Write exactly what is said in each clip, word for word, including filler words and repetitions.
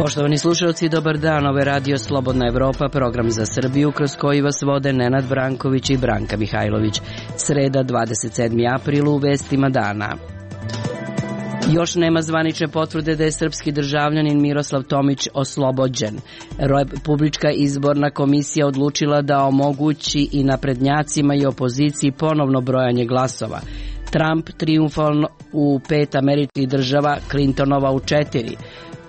Poštovani slušalci, dobar dan. Ovo je Radio Slobodna Evropa, program za Srbiju kroz koji vas vode Nenad Branković i Branka Mihajlović. Sreda, dvadeset sedmi april, u vestima dana. Još nema zvanične potvrde da je srpski državljanin Miroslav Tomić oslobođen. Republička izborna komisija odlučila da omogući i naprednjacima i opoziciji ponovno brojanje glasova. Trump trijumfalno u pet američkih država, Clintonova u četiri.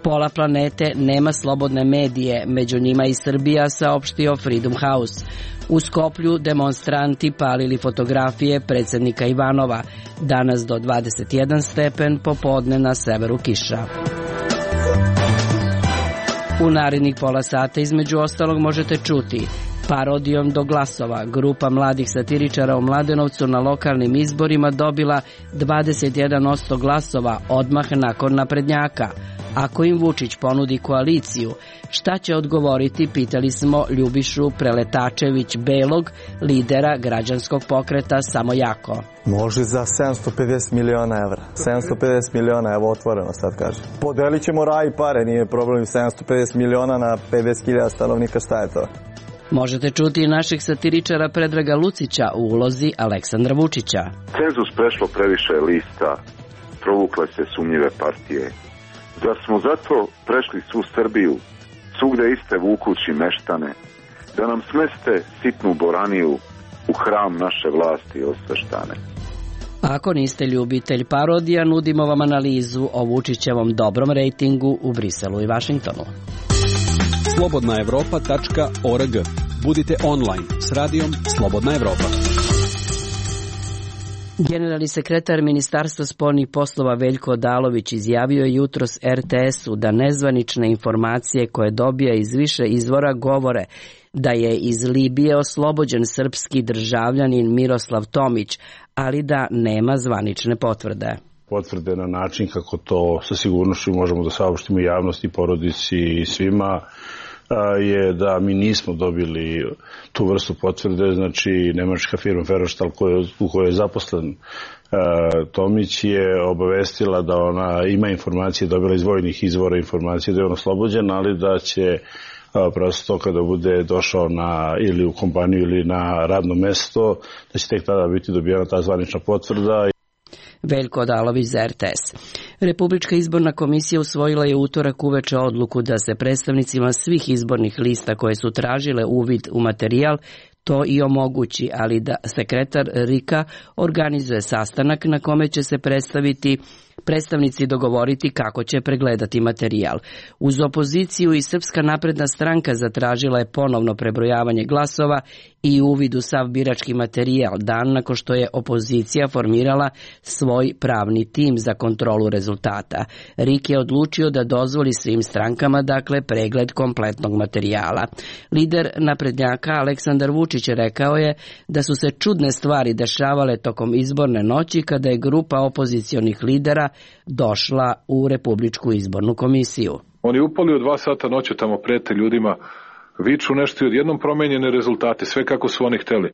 Pola planete nema slobodne medije, među njima i Srbija, saopštio Freedom House. U Skoplju demonstranti palili fotografije predsjednika Ivanova. Danas do dvadeset jedan stepen, popodne na severu kiša. U narednih pola sata između ostalog možete čuti: parodijom do glasova. Grupa mladih satiričara u Mladenovcu na lokalnim izborima dobila dvadeset jedan posto glasova odmah nakon naprednjaka. Ako im Vučić ponudi koaliciju, šta će odgovoriti, pitali smo Ljubišu Preletačević Belog, lidera građanskog pokreta Samo jako. Može za sedamsto pedeset miliona evra. sedamsto pedeset miliona, evo otvoreno sad kažem. Podelit ćemo raj i pare, nije problem. sedamsto pedeset miliona na pedeset hiljada stanovnika, šta je to? Možete čuti i naših satiričara Predraga Lucića u ulozi Aleksandra Vučića. Cenzus prešlo previše lista, provukle se sumnjive partije. Zar smo zato prešli svu Srbiju, svugde iste vukući meštane, da nam smeste sitnu boraniju u hram naše vlasti osveštane? Ako niste ljubitelj parodija, nudimo vam analizu o Vučićevom dobrom rejtingu u Briselu i Vašingtonu. slobodna evropa tačka org. Budite online s radijom Slobodna Evropa. Generalni sekretar Ministarstva spoljnih poslova Veljko Odalović izjavio je jutros er te esu da nezvanične informacije koje dobija iz više izvora govore da je iz Libije oslobođen srpski državljanin Miroslav Tomić, ali da nema zvanične potvrde. Potvrde na način kako to sa sigurnošću možemo da saopštimo javnosti, porodici i svima je da mi nismo dobili tu vrstu potvrde. Znači, nemačka firma Ferrostahl u kojoj je zaposlen Tomić je obavestila da ona ima informacije, dobila iz vojnih izvora informacije da je on oslobođen, ali da će prosto kada bude došao na, ili u kompaniju ili na radno mesto, da će tek tada biti dobijena ta zvanična potvrda. Veljko Odalović za er te es. Republička izborna komisija usvojila je utorak uveče odluku da se predstavnicima svih izbornih lista koje su tražile uvid u materijal to i omogući, ali da sekretar er i ka organizuje sastanak na kome će se predstaviti predstavnici dogovoriti kako će pregledati materijal. Uz opoziciju i Srpska napredna stranka zatražila je ponovno prebrojavanje glasova i uvid u sav birački materijal, dan nakon što je opozicija formirala svoj pravni tim za kontrolu rezultata. er i ka je odlučio da dozvoli svim strankama, dakle, pregled kompletnog materijala. Lider naprednjaka Aleksandar Vučić rekao je da su se čudne stvari dešavale tokom izborne noći kada je grupa opozicionih lidera došla u Republičku izbornu komisiju. Oni upali u dva sata noću, tamo prete ljudima, viču nešto i odjednom promenjene rezultate, sve kako su oni hteli.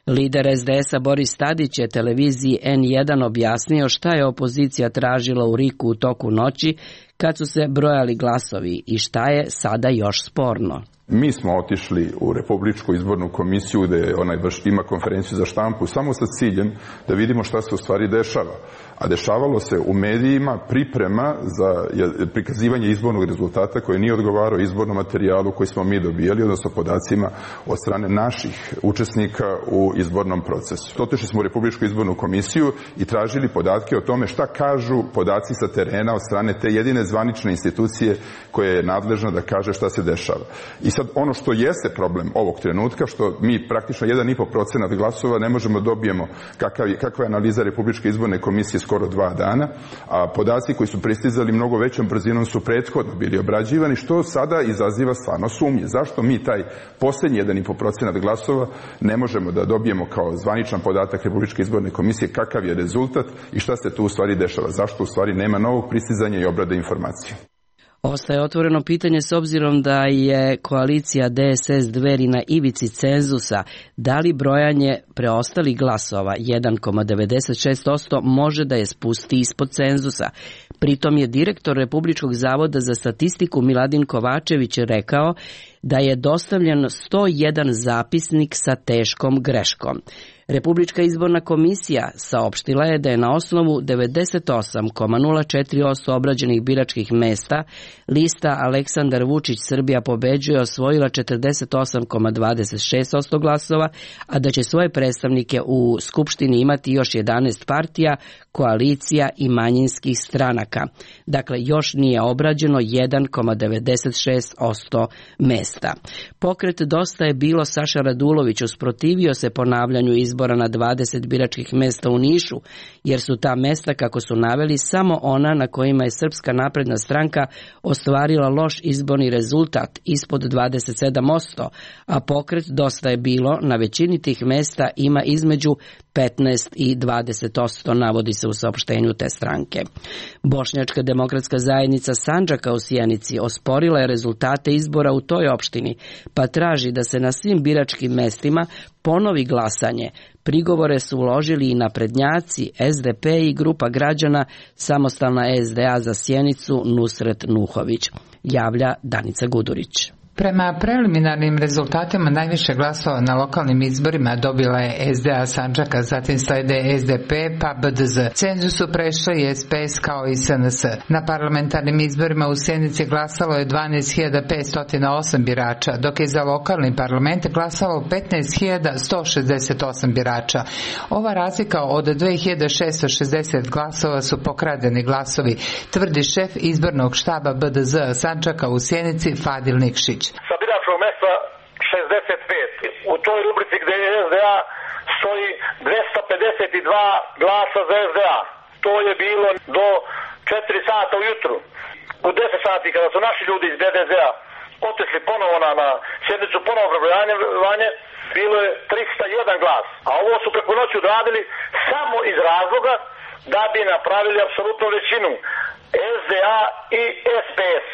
Lider es de esa Boris Tadić je televiziji en jedan objasnio šta je opozicija tražila u er i ku u toku noći kad su se brojali glasovi i šta je sada još sporno. Mi smo otišli u Republičku izbornu komisiju gde onaj ima konferenciju za štampu samo sa ciljem da vidimo šta se u stvari dešava. A dešavalo se u medijima priprema za prikazivanje izbornog rezultata koji nije odgovarao izbornom materijalu koji smo mi dobijali, odnosno podacima od strane naših učesnika u izbornom procesu. Otišli smo u Republičku izbornu komisiju i tražili podatke o tome šta kažu podaci sa terena od strane te jedine zvanične institucije koja je nadležna da kaže šta se dešava. I sad ono što jeste problem ovog trenutka, što mi praktično jedan i po procenat glasova ne možemo dobijemo kakav, kakva je analiza Republičke izborne komisije skoro dva dana, a podaci koji su pristizali mnogo većom brzinom su prethodno bili obrađivani, što sada izaziva stvarno sumnje. Zašto mi taj posljednji jedan i po procenat glasova ne možemo da dobijemo kao zvaničan podatak Republičke izborne komisije kakav je rezultat i šta se tu u stvari dešava? Zašto u stvari nema novog pristizanja i obrade informacije? Ostaje otvoreno pitanje s obzirom da je koalicija D S S Dveri na ivici cenzusa, da li brojanje preostalih glasova jedan zarez devedeset šest posto može da je spusti ispod cenzusa. Pritom je direktor Republičkog zavoda za statistiku Miladin Kovačević rekao da je dostavljen sto jedan zapisnik sa teškom greškom. Republička izborna komisija saopštila je da je na osnovu devedeset osam zarez nula četiri posto obrađenih biračkih mesta lista Aleksandar Vučić Srbija pobeđuje osvojila četrdeset osam zarez dvadeset šest posto glasova, a da će svoje predstavnike u Skupštini imati još jedanaest partija, koalicija i manjinskih stranaka. Dakle, još nije obrađeno jedan zarez devedeset šest posto mesta. Pokret Dosta je bilo Saša Radulović usprotivio se ponavljanju izbora na dvadeset biračkih mesta u Nišu, jer su ta mesta, kako su naveli, samo ona na kojima je Srpska napredna stranka ostvarila loš izborni rezultat ispod dvadeset sedam posto, a pokret Dosta je bilo na većini tih mesta ima između petnaest i dvadeset posto, navodi se u saopštenju te stranke. Bošnjačka demokratska zajednica Sandžaka u Sjenici osporila je rezultate izbora u toj opštini, pa traži da se na svim biračkim mestima ponovi glasanje. Prigovore su uložili i naprednjaci, S D P i grupa građana Samostalna S D A za Sjenicu Nusret Nuhović, javlja Danica Gudurić. Prema preliminarnim rezultatima najviše glasova na lokalnim izborima dobila je S D A Sandžaka, zatim slede S D P pa B D Z. Cenzus su prešli i S P S kao i S N S. Na parlamentarnim izborima u Sjenici glasalo je dvanaest hiljada petsto osam birača, dok je za lokalni parlament glasalo petnaest hiljada sto šezdeset osam birača. Ova razlika od dve hiljade šessto šezdeset glasova su pokradeni glasovi, tvrdi šef izbornog štaba B D Z Sandžaka u Sjenici Fadil Nikšić. Sa biračkog mesta šezdeset pet. U toj rubrici gde je S D A stoji dvesta pedeset dva glasa za S D A. To je bilo do četiri sata ujutru. U deset sati kada su naši ljudi iz B D Z-a otišli ponovo na, na sjednicu, ponovo prebrojanje, bilo je trista jedan glas. A ovo su preko noći odradili samo iz razloga da bi napravili apsolutnu većinu. S D A i S P S.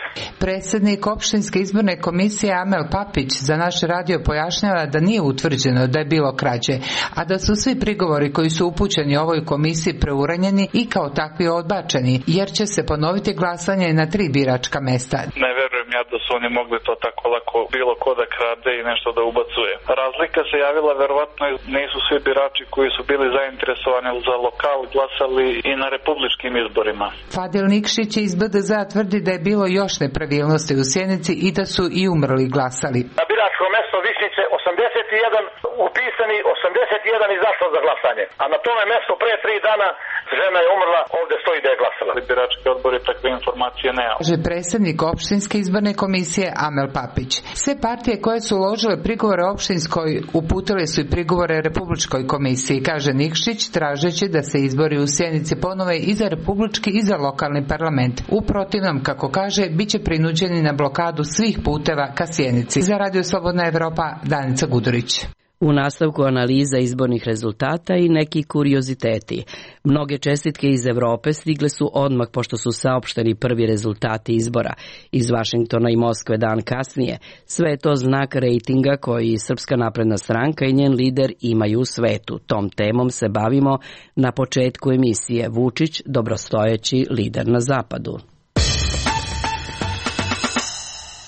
Predsjednik opštinske izborne komisije Amel Papić za naš radio pojašnjava da nije utvrđeno da je bilo krađe, a da su svi prigovori koji su upućeni ovoj komisiji preuranjeni i kao takvi odbačeni, jer će se ponoviti glasanje na tri biračka mesta. Ne verujem ja da su oni mogli to tako lako bilo ko da krade i nešto da ubacuje. Razlika se javila, verovatno nisu svi birači koji su bili zainteresovani za lokal glasali i na republičkim izborima. Fadil Nikšić iz B D Z-a tvrdi da je bilo još nepravilnosti u Sjenici i da su i umrli glasali. Na biračko mesto Višnjice osamdeset jedan upisani, osamdeset jedan izašlo za glasanje. A na tome mesto pre tri dana žena je umrla, ovde stoji da je glasala. Birački odbor je takve informacije nema. Kaže predsjednik opštinske izborne komisije Amel Papić. Sve partije koje su uložile prigovore opštinskoj uputile su i prigovore Republičkoj komisiji, kaže Nikšić, tražeći da se izbori u Sjenici ponove i za republički i za lokalni parlament. U protivnom, kako kaže, bit će prinuđeni na blokadu svih puteva ka Sjenici. Za Radio Slobodna Evropa, Danica Gudurić. U nastavku analiza izbornih rezultata i neki kurioziteti. Mnoge čestitke iz Evrope stigle su odmah pošto su saopšteni prvi rezultati izbora. Iz Vašingtona i Moskve dan kasnije. Sve je to znak rejtinga koji Srpska napredna stranka i njen lider imaju u svetu. Tom temom se bavimo na početku emisije. Vučić, dobrostojeći lider na zapadu.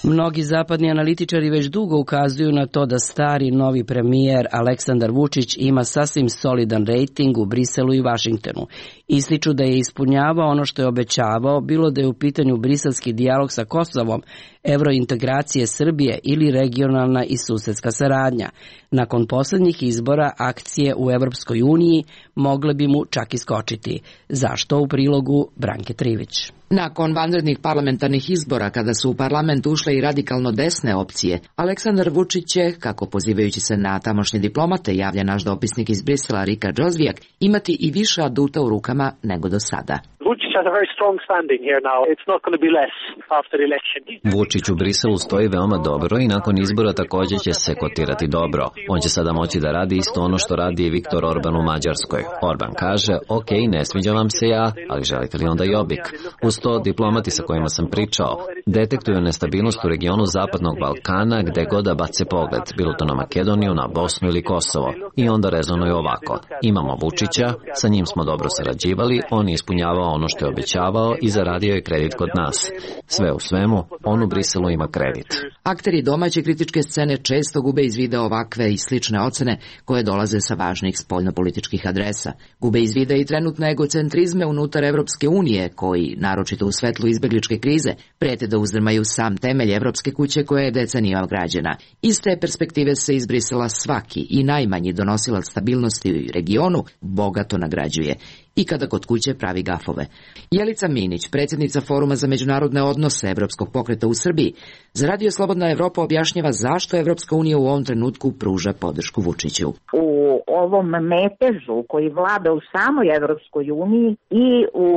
Mnogi zapadni analitičari već dugo ukazuju na to da stari novi premijer Aleksandar Vučić ima sasvim solidan rejting u Briselu i Vašingtonu. Ističu da je ispunjavao ono što je obećavao, bilo da je u pitanju briselski dijalog sa Kosovom, evrointegracije Srbije ili regionalna i susedska saradnja. Nakon posljednjih izbora akcije u Evropskoj uniji mogle bi mu čak iskočiti. Zašto? U prilogu Branke Trivić. Nakon vanrednih parlamentarnih izbora, kada su u parlament ušle i radikalno desne opcije, Aleksandar Vučić će, kako pozivajući se na tamošnje diplomate, javlja naš dopisnik iz Brisela Rika Džozvijak, imati i više aduta u rukama nego do sada. Vučić has a very strong standing here now. It's not going to be less after the election. Vučić u Briselu stoji veoma dobro i nakon izbora također će se kotirati dobro. On će sada moći da radi isto ono što radi i Viktor Orban u Mađarskoj. Orban kaže, ok, ne sviđa vam se ja, ali želite li onda Jobbik? Uz to, diplomati sa kojima sam pričao detektuju nestabilnost u regionu Zapadnog Balkana gde god da bace pogled, bilo to na Makedoniju, na Bosnu ili Kosovo. I onda rezonuju ovako. Imamo Vučića, sa njim smo dobro sarađivali, on je ispunjavao ono što je obećavao i zaradio je kredit kod nas. Sve u svemu, on u Briselu ima kredit. Akteri domaće kritičke scene često gube iz vida ovakve i slične ocene koje dolaze sa važnih spoljnopolitičkih adresa. Gube iz vida i trenutne egocentrizme unutar Evropske unije, koji, naročito u svetlu izbegličke krize, prete da uzdrmaju sam temelj Evropske kuće koja je decenijama građena. Iz te perspektive se iz Brisela svaki i najmanji donosilac stabilnosti u regionu bogato nagrađuje i kada kod kuće pravi gafove. Jelica Minić, predsjednica Foruma za međunarodne odnose Evropskog pokreta u Srbiji, za Radio Slobodna Evropa objašnjava zašto Evropska unija u ovom trenutku pruža podršku Vučiću. U ovom metežu koji vlada u samoj Evropskoj uniji i u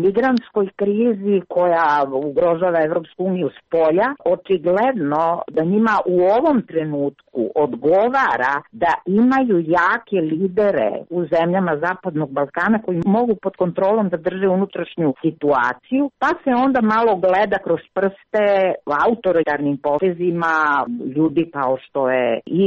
migrantskoj krizi koja ugrožava Evropsku uniju s polja, očigledno da njima u ovom trenutku odgovara da imaju jake lidere u zemljama Zapadnog Balkana koji mogu pod kontrolom da drže unutrašnju situaciju, pa se onda malo gleda kroz prste autoritarnim potezima ljudi kao što je i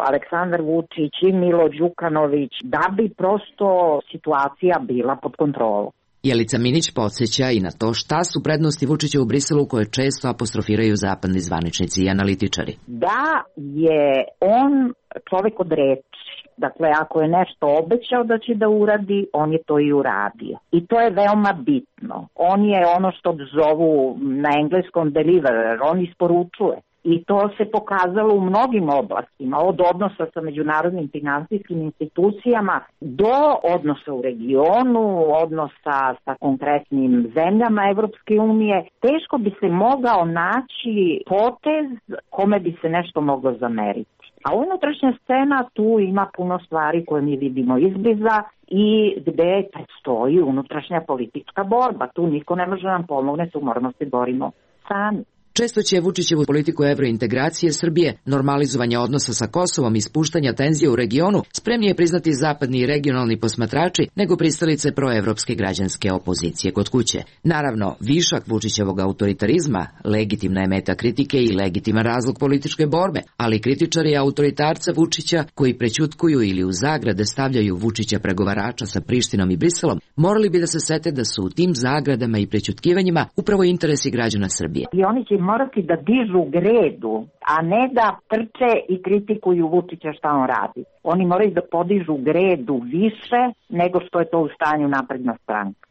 Aleksandar Vučić i Milo Đukanović, da bi prosto situacija bila pod kontrolom. Jelica Minić podsjeća i na to šta su prednosti Vučića u Briselu koje često apostrofiraju zapadni zvaničnici i analitičari. Da je on čovjek od reči. Dakle, ako je nešto obećao da će da uradi, on je to i uradio. I to je veoma bitno. On je ono što zovu na engleskom deliverer, on isporučuje. I to se pokazalo u mnogim oblastima, od odnosa sa međunarodnim finansijskim institucijama do odnosa u regionu, odnosa sa konkretnim zemljama Evropske unije. Teško bi se mogao naći potez kome bi se nešto moglo zameriti. A unutrašnja scena tu ima puno stvari koje mi vidimo izbliza i gde stoji unutrašnja politička borba. Tu niko ne može nam pomogne, tu moramo se borimo sami. Često će Vučićevu politiku evrointegracije Srbije, normalizovanja odnosa sa Kosovom i spuštanja tenzija u regionu spremnije priznati zapadni i regionalni posmatrači nego pristalice proevropske građanske opozicije kod kuće. Naravno, višak Vučićevog autoritarizma legitimna je meta kritike i legitiman razlog političke borbe, ali kritičari autoritarca Vučića koji prećutkuju ili u zagrade stavljaju Vučića pregovarača sa Prištinom i Briselom, morali bi da se sete da su u tim zagradama i prećutkivanjima upravo interesi građana Srbije. I oni će morati da dižu gredu, a ne da trče i kritikuju Vučića šta on radi. Oni moraju da podižu gredu više nego što je to u stanju napredna stranka.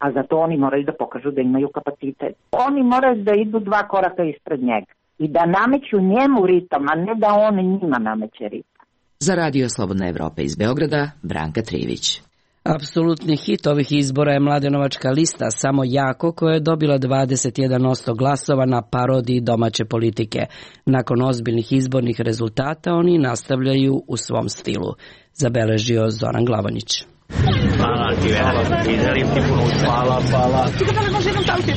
A za to oni moraju da pokažu da imaju kapacitet. Oni moraju da idu dva koraka ispred njega i da nameću njemu ritam, a ne da on njima nameće ritam. Za Radio Slobodna Evropa iz Beograda, Branka Trivić. Apsolutni hit ovih izbora je mladenovačka lista Samo jako, koja je dobila dvadeset jedan posto glasova na parodiji domaće politike. Nakon ozbiljnih izbornih rezultata oni nastavljaju u svom stilu, zabeležio Zoran Glavanić. Hvala ti, hvala ti, želim ti puno uspjeha. Hvala, hvala. Čekaj, da li može jednom tavke?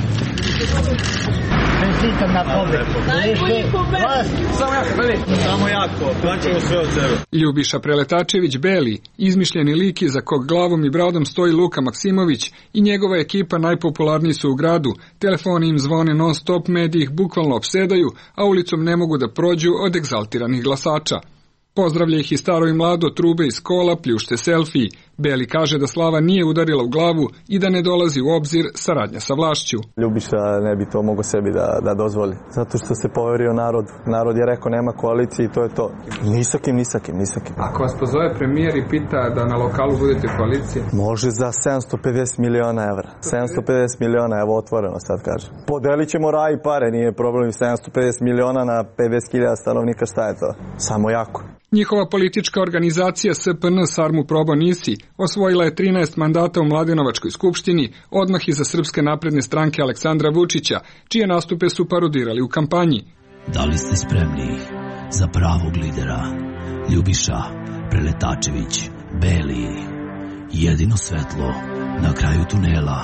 Čestitam na pobedu. Najbolji pobed. Samo jako, veli. Samo jako, daćemo sve od sebe. Ljubiša Preletačević Beli, izmišljeni lik iza kog glavom i bradom stoji Luka Maksimović i njegova ekipa najpopularniji su u gradu. Telefoni im zvone non stop, mediji ih bukvalno opsedaju, a ulicom ne mogu da prođu od egzaltiranih glasača. Pozdravlja ih i staro i mlado, trube iz kola, pljušte selfiji. Beli kaže da slava nije udarila u glavu i da ne dolazi u obzir saradnja sa vlašću. Ljubiša ne bi to mogo sebi da, da dozvoli. Zato što se poverio narodu. Narod je rekao nema koalicije i to je to. Ni sa kim, ni sa kim, ni sa kim. Ako vas pozove premijer i pita da na lokalu budete koalicije? Može za sedamsto pedeset miliona evra. sedamsto pedeset miliona, evo otvoreno sad kaže. Podelit ćemo raj i pare, nije problem. sedamsto pedeset miliona na pedeset hiljada stanovnika, šta je to? Samo jako. Njihova politička organizacija S P N Sarmu Probo Nisi osvojila je trinaest mandata u Mladenovačkoj skupštini, odmah iza Srpske napredne stranke Aleksandra Vučića, čije nastupe su parodirali u kampanji. Da li ste spremni za pravog lidera? Ljubiša Preletačević Beli, jedino svetlo na kraju tunela.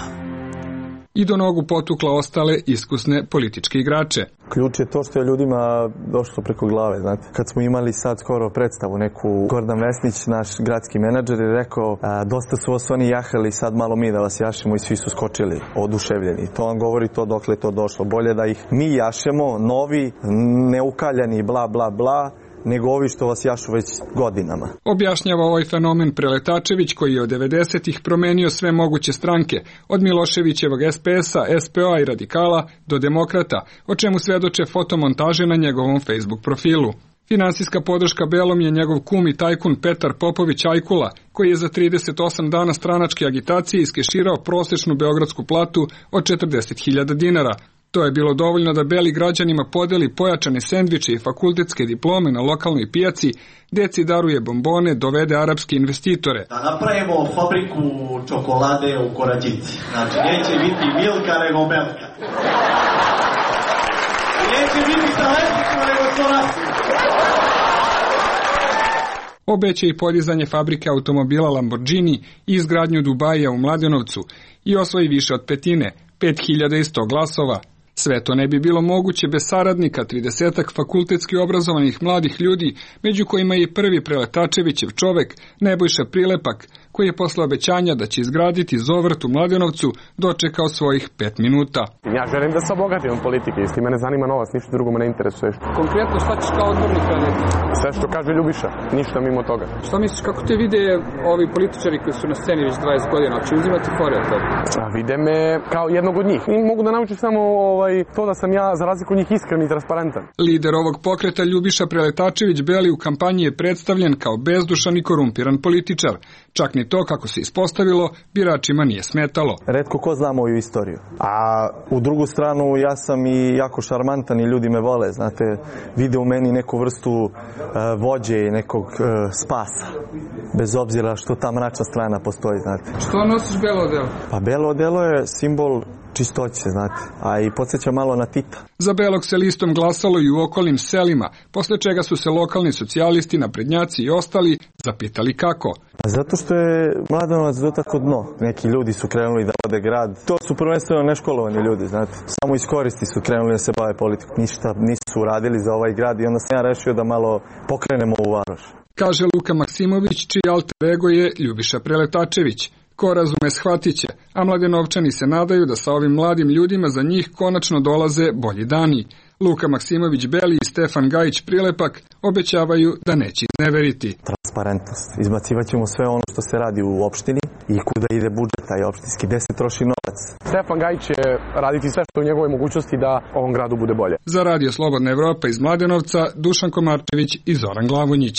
i do nogu potukla ostale iskusne političke igrače. Ključ je to što je ljudima došlo preko glave, znate. Kad smo imali sad skoro predstavu neku, Gordan Vesnić, naš gradski menadžer, je rekao a, dosta su vas oni jahali, sad malo mi da vas jašemo i svi su skočili, oduševljeni. To vam govori to dokle je to došlo. Bolje da ih mi jašemo, novi, neukaljani, bla, bla, bla, nego ovi što vas jašu već godinama. Objašnjava ovaj fenomen Preletačević, koji je od devedesetih promenio sve moguće stranke, od Miloševićevog es pe es a, es pe o a i Radikala do Demokrata, o čemu svedoče fotomontaže na njegovom Facebook profilu. Finansijska podrška Belom je njegov kum i tajkun Petar Popović Ajkula, koji je za trideset osam dana stranačke agitacije iskeširao prosečnu beogradsku platu od četrdeset hiljada dinara. To je bilo dovoljno da Beli građanima podeli pojačane sendviče i fakultetske diplome na lokalnoj pijaci, deci daruje bombone, dovede arapske investitore. Da napravimo fabriku čokolade u Korađici. Znači, neće biti Milka nego Melka. Neće biti Saleticu nego Sorasi. Obeća i podizanje fabrike automobila Lamborghini i izgradnju Dubaija u Mladenovcu i osvoji više od petine, pet hiljada i sto glasova. Sve to ne bi bilo moguće bez saradnika tridesetak fakultetski obrazovanih mladih ljudi, među kojima je i prvi Preletačevićev čovek, Nebojša Prilepak, koji je posle obećanja da će izgraditi Zovrt u Mladenovcu dočekao svojih pet minuta. Ja želim da se obogatim od politike, isti mene zanima novac, ništa drugo me ne interesuje. Konkretno šta ćeš kao odbornik raditi? Sve što kaže Ljubiša, ništa mimo toga. Šta misliš, kako te vide ovi političari koji su na sceni već dvadeset godina, će uzimati fore od toga? A vide me kao jednog od njih. I mogu da naučim samo ovaj, to da sam ja za razliku od njih iskren i transparentan. Lider ovog pokreta Ljubiša Preletačević Beli u kampanji je predstavljen kao bezdušan i korumpiran političar. Čak ni to, kako se ispostavilo, biračima nije smetalo. Retko ko zna moju istoriju. A u drugu stranu ja sam i jako šarmantan i ljudi me vole, znate, vide u meni neku vrstu uh, vođe i nekog uh, spasa. Bez obzira što ta mračna strana postoji, znate. Što nosiš belo odelo? Pa belo odelo je simbol čistoće, znate, a i podsjeća malo na Tita. Za Belog se listom glasalo i u okolnim selima, posle čega su se lokalni socijalisti, naprednjaci i ostali zapitali kako. Zato što je Mladenovac do tako dno. Neki ljudi su krenuli da vode grad. To su prvenstveno neškolovani ljudi, znate. Samo iz koristi su krenuli da se bave politikom. Ništa nisu uradili za ovaj grad i onda sam ja rešio da malo pokrenemo u varoš. Kaže Luka Maksimović, čiji alter ego je Ljubiša Preletačević. Ko razume, shvatit će, a Mladenovčani se nadaju da sa ovim mladim ljudima za njih konačno dolaze bolji dani. Luka Maksimović Beli i Stefan Gajić Prilepak obećavaju da neće izneveriti. Transparentnost. Izbacivat ćemo sve ono što se radi u opštini i kuda ide budžet taj opštinski, gde se troši novac. Stefan Gajić će raditi sve što je u njegovoj mogućnosti da ovom gradu bude bolje. Za Radio Slobodna Evropa iz Mladenovca, Dušan Komarčević i Zoran Glavonjić.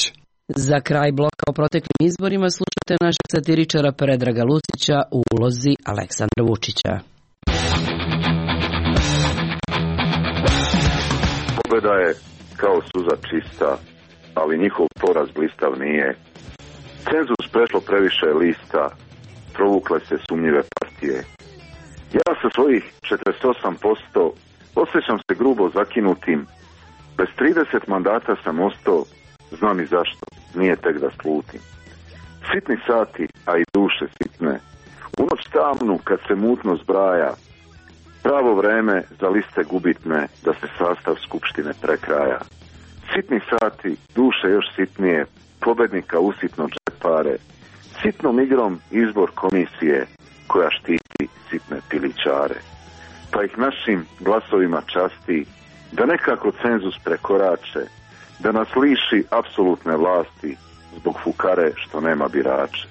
Za kraj bloka o proteklim izborima slušate našeg satiričara Predraga Lucića u ulozi Aleksandra Vučića. Pobeda je kao suza čista, ali njihov poraz blistav nije. Cenzus prešlo previše lista, provukle se sumnjive partije. Ja sa svojih četrdeset osam posto osjećam se grubo zakinutim. Bez trideset mandata sam ostao, znam i zašto, nije tek da slutim. Sitni sati, a i duše sitne, u noć tamnu kad se mutno zbraja, pravo vreme za liste gubitne da se sastav skupštine prekraja. Sitni sati, duše još sitnije, pobednika usitno džepare, sitnom igrom izbor komisije koja štiti sitne pilićare. Pa ih našim glasovima časti da nekako cenzus prekorače, da nas liši apsolutne vlasti zbog fukare što nema birače.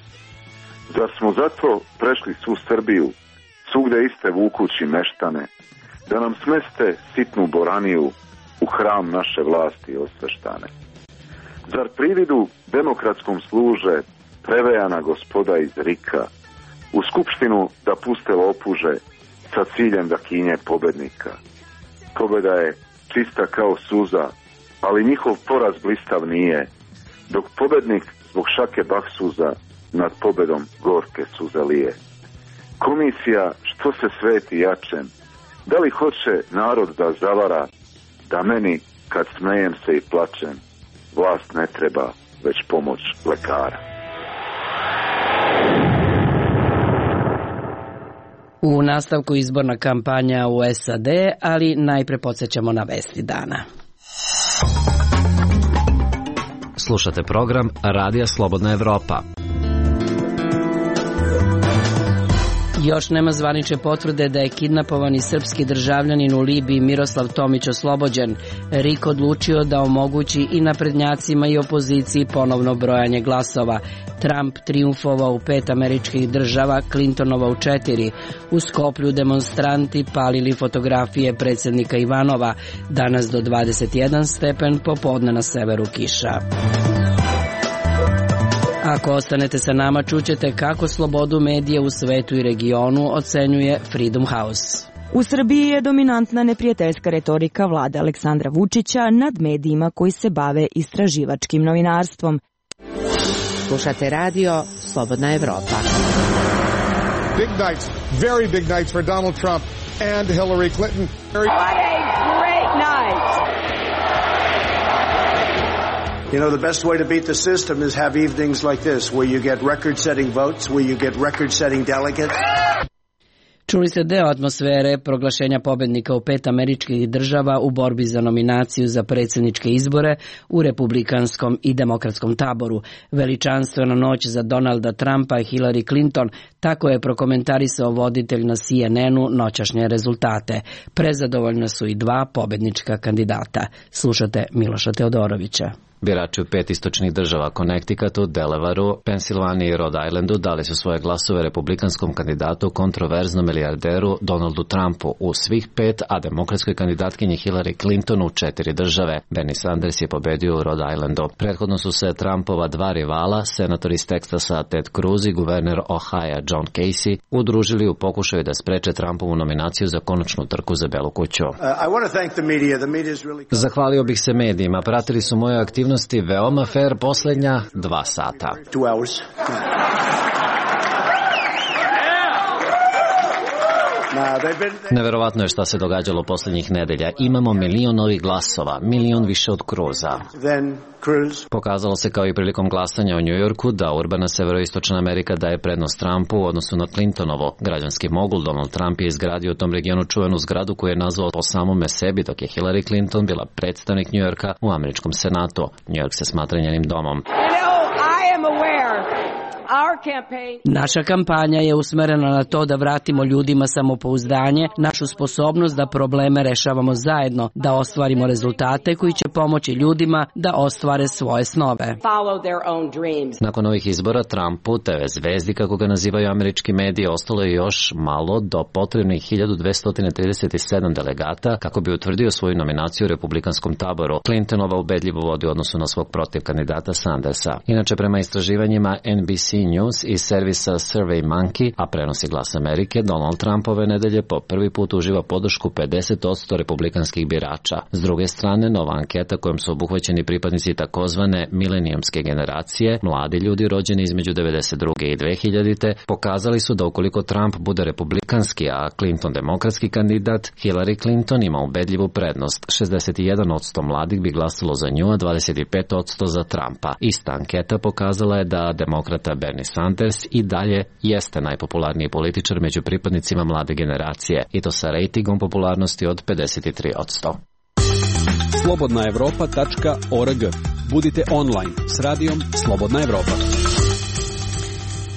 Zar smo zato prešli svu Srbiju, svugde iste vukući meštane, da nam smeste sitnu boraniju u hram naše vlasti osveštane? Zar prividu demokratskom služe prevejana gospoda iz Rika, u skupštinu da puste lopuže sa ciljem da kinje pobednika? Pobeda je čista kao suza, ali njihov poraz blistav nije, dok pobednik zbog šake baksuza nad pobedom gorke suze lije. Komisija što se sveti jačem, da li hoće narod da zavara, da meni kad smejem se i plačem, vlast ne treba, već pomoć lekara. U nastavku izborna kampanja u S A D, ali najpre podsjećamo na vesti dana. Slušate program Radija Slobodna Evropa. Još nema zvanične potvrde da je kidnapovani srpski državljanin u Libiji Miroslav Tomić oslobođen. R I K odlučio da omogući i naprednjacima i opoziciji ponovno brojanje glasova. Trump trijumfovao u pet američkih država, Clintonova u četiri. U Skoplju demonstranti palili fotografije predsjednika Ivanova. Danas do dvadeset jedan stepen, popodne na severu kiša. Ako ostanete sa nama, čućete kako slobodu medija u svetu i regionu ocenjuje Freedom House. U Srbiji je dominantna neprijateljska retorika vlade Aleksandra Vučića nad medijima koji se bave istraživačkim novinarstvom. Slušate radio Slobodna Evropa. Big nights, very big nights for Donald Trump and Hillary Clinton. What a great night! You know, the best way to beat the system is have evenings like this, where you get record-setting votes, where you get record-setting delegates. Čuli ste deo atmosfere proglašenja pobednika u pet američkih država u borbi za nominaciju za predsjedničke izbore u republikanskom i demokratskom taboru. Veličanstvena noć za Donalda Trumpa i Hillary Clinton, tako je prokomentarisao voditelj na C N N-u noćašnje rezultate. Prezadovoljna su i dva pobednička kandidata. Slušate Miloša Teodorovića. Birači u pet istočnih država, Connecticutu, Delawareu, Pensilvaniji i Rhode Islandu dali su svoje glasove republikanskom kandidatu, kontroverznom milijarderu Donaldu Trumpu u svih pet, a demokratskoj kandidatkinji Hillary Clinton u četiri države. Bernie Sanders je pobedio u Rhode Islandu. Prethodno su se Trumpova dva rivala, senator iz Teksasa Ted Cruz i guverner Ohio John Casey, udružili u pokušaju da spreče Trumpovu nominaciju za konačnu trku za Belu kuću. Zahvalio bih se medijima, pratili su moje aktivnosti veoma fair posljednja dva sata. Neverovatno je šta se događalo posljednjih nedelja. Imamo milion novih glasova, milion više od Cruza. Pokazalo se kao i prilikom glasanja u Njujorku da urbana severoistočna Amerika daje prednost Trumpu u odnosu na Clintonovo. Građanski mogul Donald Trump je izgradio u tom regionu čuvenu zgradu koju je nazvao po samome sebi, dok je Hillary Clinton bila predstavnik Njujorka u američkom senatu. Njujork se smatra njenim domom. Naša kampanja je usmerena na to da vratimo ljudima samopouzdanje, našu sposobnost da probleme rešavamo zajedno, da ostvarimo rezultate koji će pomoći ljudima da ostvare svoje snove. Nakon ovih izbora Trumpu, T V zvezdi kako ga nazivaju američki mediji, ostalo je još malo do potrebnih hiljadu dvesta trideset sedam delegata kako bi utvrdio svoju nominaciju u republikanskom taboru. Clintonova ubedljivo vodi u odnosu na svog protiv kandidata Sandersa. Inače, prema istraživanjima N B C News iz servisa Survey Monkey, a prenosi Glas Amerike, Donald Trump ove nedelje po prvi put uživa podršku pedeset posto republikanskih birača. S druge strane, nova anketa kojom su obuhvaćeni pripadnici takozvane milenijumske generacije, mladi ljudi rođeni između devedeset druge i dve hiljadite, pokazali su da ukoliko Trump bude republikanski, a Clinton demokratski kandidat, Hillary Clinton ima ubedljivu prednost. šezdeset jedan posto mladih bi glasalo za nju, a dvadeset pet posto za Trumpa. Ista anketa pokazala je da demokrata Bernie Sanders i dalje jeste najpopularniji političar među pripadnicima mlade generacije, i to sa rejtingom popularnosti od pedeset tri posto. slobodna evropa tačka org. Budite online s radijom Slobodna Evropa.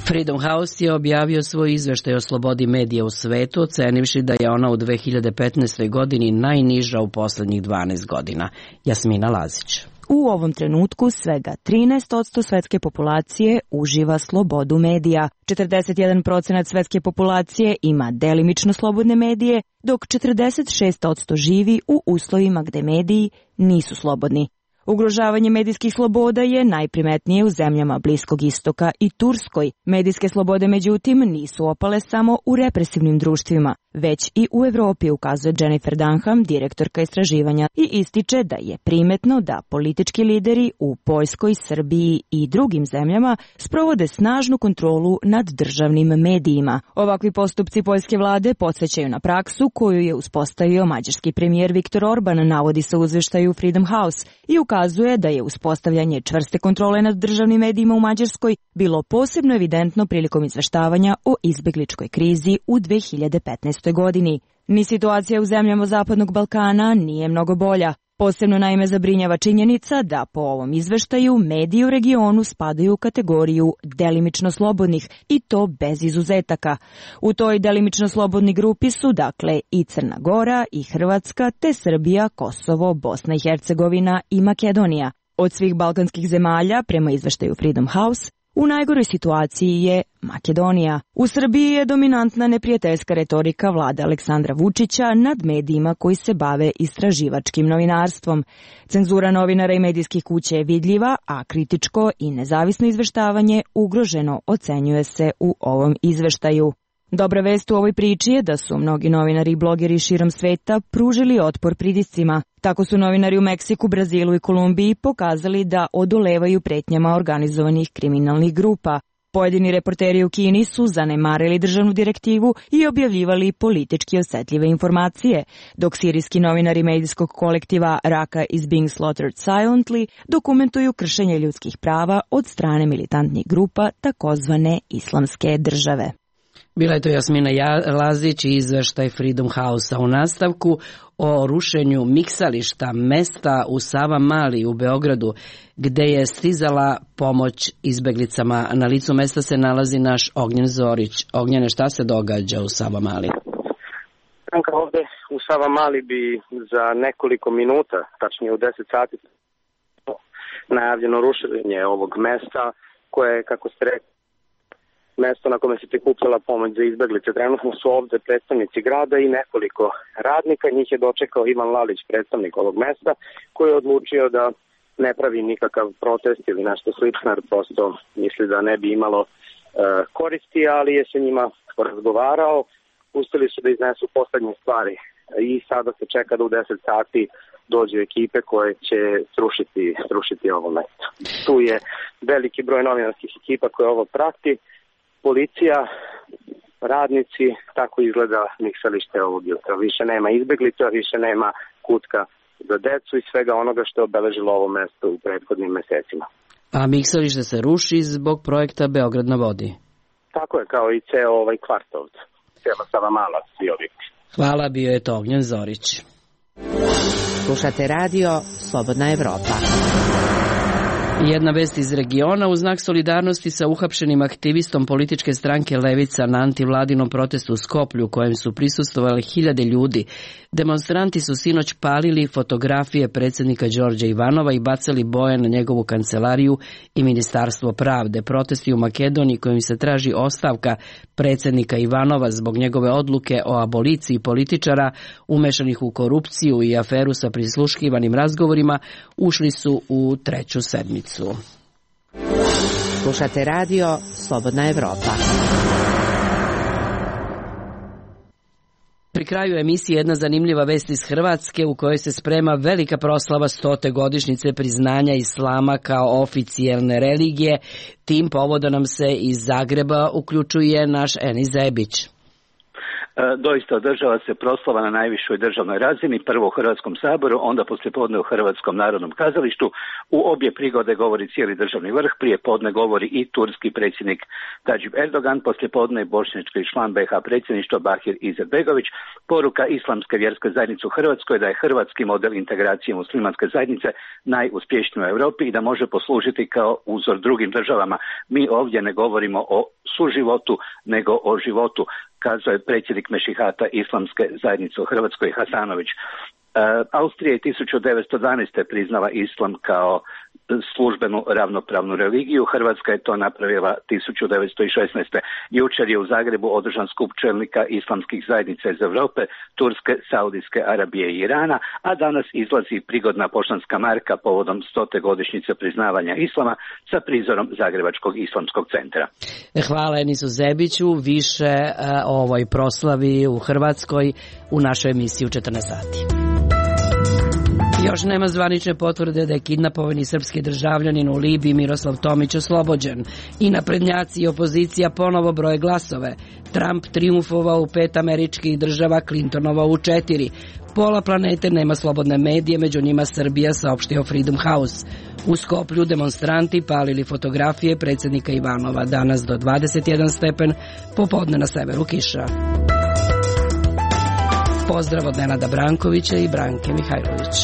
Freedom House je objavio svoj izveštaj o slobodi medija u svetu, ocenivši da je ona u dve hiljade petnaestoj. godini najniža u poslednjih dvanaest godina. Jasmina Lazić. U ovom trenutku svega trinaest posto svetske populacije uživa slobodu medija. četrdeset jedan procenat svetske populacije ima delimično slobodne medije, dok četrdeset šest posto živi u uslovima gde mediji nisu slobodni. Ugrožavanje medijskih sloboda je najprimetnije u zemljama Bliskog istoka i Turskoj. Medijske slobode, međutim, nisu opale samo u represivnim društvima. već i u Evropi, ukazuje Jennifer Dunham, direktorka istraživanja, i ističe da je primetno da politički lideri u Poljskoj, Srbiji i drugim zemljama sprovode snažnu kontrolu nad državnim medijima. Ovakvi postupci poljske vlade podsjećaju na praksu koju je uspostavio mađarski premijer Viktor Orban, navodi se u izveštaju Freedom House, i ukazuje da je uspostavljanje čvrste kontrole nad državnim medijima u Mađarskoj bilo posebno evidentno prilikom izveštavanja o izbegličkoj krizi u dve hiljade petnaestoj. godini. Ni situacija u zemljama Zapadnog Balkana nije mnogo bolja. Posebno naime zabrinjava činjenica da po ovom izveštaju mediji u regionu spadaju u kategoriju delimično slobodnih i to bez izuzetaka. U toj delimično slobodni grupi su dakle i Crna Gora i Hrvatska te Srbija, Kosovo, Bosna i Hercegovina i Makedonija. Od svih balkanskih zemalja, prema izveštaju Freedom House, u najgoroj situaciji je Makedonija. U Srbiji je dominantna neprijateljska retorika vlade Aleksandra Vučića nad medijima koji se bave istraživačkim novinarstvom. Cenzura novinara i medijskih kuća je vidljiva, a kritičko i nezavisno izveštavanje ugroženo, ocenjuje se u ovom izveštaju. Dobra vest u ovoj priči je da su mnogi novinari i blogeri širom sveta pružili otpor pritiscima. Tako su novinari u Meksiku, Brazilu i Kolumbiji pokazali da odolevaju pretnjama organizovanih kriminalnih grupa. Pojedini reporteri u Kini su zanemarili državnu direktivu i objavljivali politički osetljive informacije, dok sirijski novinari medijskog kolektiva Raqqa is being slaughtered silently dokumentuju kršenje ljudskih prava od strane militantnih grupa takozvane islamske države. Bila je to Jasmina Lazić i izveštaj Freedom House-a. U nastavku o rušenju miksališta mesta u Savamali u Beogradu, gde je stizala pomoć izbeglicama. Na licu mesta se nalazi naš Ognjen Zorić. Ognjene, šta se događa u Savamali? Ovde u Savamali bi za nekoliko minuta, tačnije u deset sati, najavljeno rušenje ovog mesta, koje je, kako ste rekli, mesto na kome se prikupljala pomoć za izbeglice. Trenutno su ovde predstavnici grada i nekoliko radnika. Njih je dočekao Ivan Lalić, predstavnik ovog mesta, koji je odlučio da ne pravi nikakav protest ili nešto slično, jer prosto misli da ne bi imalo e, koristi, ali je sa njima razgovarao. Pustili su da iznesu poslednje stvari i sada se čeka da u deset sati dođu ekipe koje će srušiti, srušiti ovo mesto. Tu je veliki broj novinarskih ekipa koje ovo prati. Policija, radnici, tako izgleda miksalište ovog jutra. Više nema izbeglica, više nema kutka za decu i svega onoga što je obeležilo ovo mesto u prethodnim mesecima. A miksalište se ruši zbog projekta Beograd na vodi? Tako je, kao i ceo ovaj kvart ovde. Cijela Savamala, svi objekti. Hvala, bio je to Ognjen Zorić. Slušate radio Slobodna Evropa. Jedna vest iz regiona: u znak solidarnosti sa uhapšenim aktivistom političke stranke Levica na antivladinom protestu u Skoplju, kojem su prisustvovali hiljade ljudi, demonstranti su sinoć palili fotografije predsjednika Đorđa Ivanova i bacali boje na njegovu kancelariju i Ministarstvo pravde. Protesti u Makedoniji, kojim se traži ostavka predsjednika Ivanova zbog njegove odluke o aboliciji političara umešanih u korupciju i aferu sa prisluškivanim razgovorima, ušli su u treću sedmicu. Slušate radio Slobodna Evropa. Pri kraju emisije jedna zanimljiva vest iz Hrvatske, u kojoj se sprema velika proslava stote godišnjice priznanja islama kao oficijelne religije. Tim povodom nam se iz Zagreba uključuje naš Enis Zebić. Doista održava se proslava na najvišoj državnoj razini, prvo u Hrvatskom saboru, onda poslijepodne u Hrvatskom narodnom kazalištu. U obje prigode govori cijeli državni vrh, prije podne govori i turski predsjednik Tadžip Erdogan, poslijepodne bošnjački član be ha predsjedništva Bahir Izetbegović. Poruka Islamske vjerske zajednice u Hrvatskoj da je hrvatski model integracije muslimanske zajednice najuspješniji u Europi i da može poslužiti kao uzor drugim državama. Mi ovdje ne govorimo o suživotu, nego o životu, kazao je predsjednik Mešihata Islamske zajednice u Hrvatskoj Hasanović. E, Austrija je tisuću devetsto dvanaeste. priznala islam kao službenu ravnopravnu religiju. Hrvatska je to napravila tisuću devetsto šesnaeste. Jučer je u Zagrebu održan skup čelnika islamskih zajednica iz Europe, Turske, Saudijske Arabije i Irana, a danas izlazi prigodna poštanska marka povodom stote godišnjice priznavanja islama sa prizorom Zagrebačkog islamskog centra. Hvala Enisu Zebiću, više o ovoj proslavi u Hrvatskoj u našoj emisiji u četrnaest sati. Još nema zvanične potvrde da je kidnapovani srpski državljanin u Libiji Miroslav Tomić oslobođen. I naprednjaci i opozicija ponovo broje glasove. Trump triumfovao u pet američkih država, Clintonova u četiri. Pola planete nema slobodne medije, među njima Srbija, saopštio Freedom House. U Skoplju demonstranti palili fotografije predsjednika Ivanova. Danas do dvadeset jedan stepen, popodne na severu kiša. Pozdrav od Nenada Brankovića i Branke Mihajlović.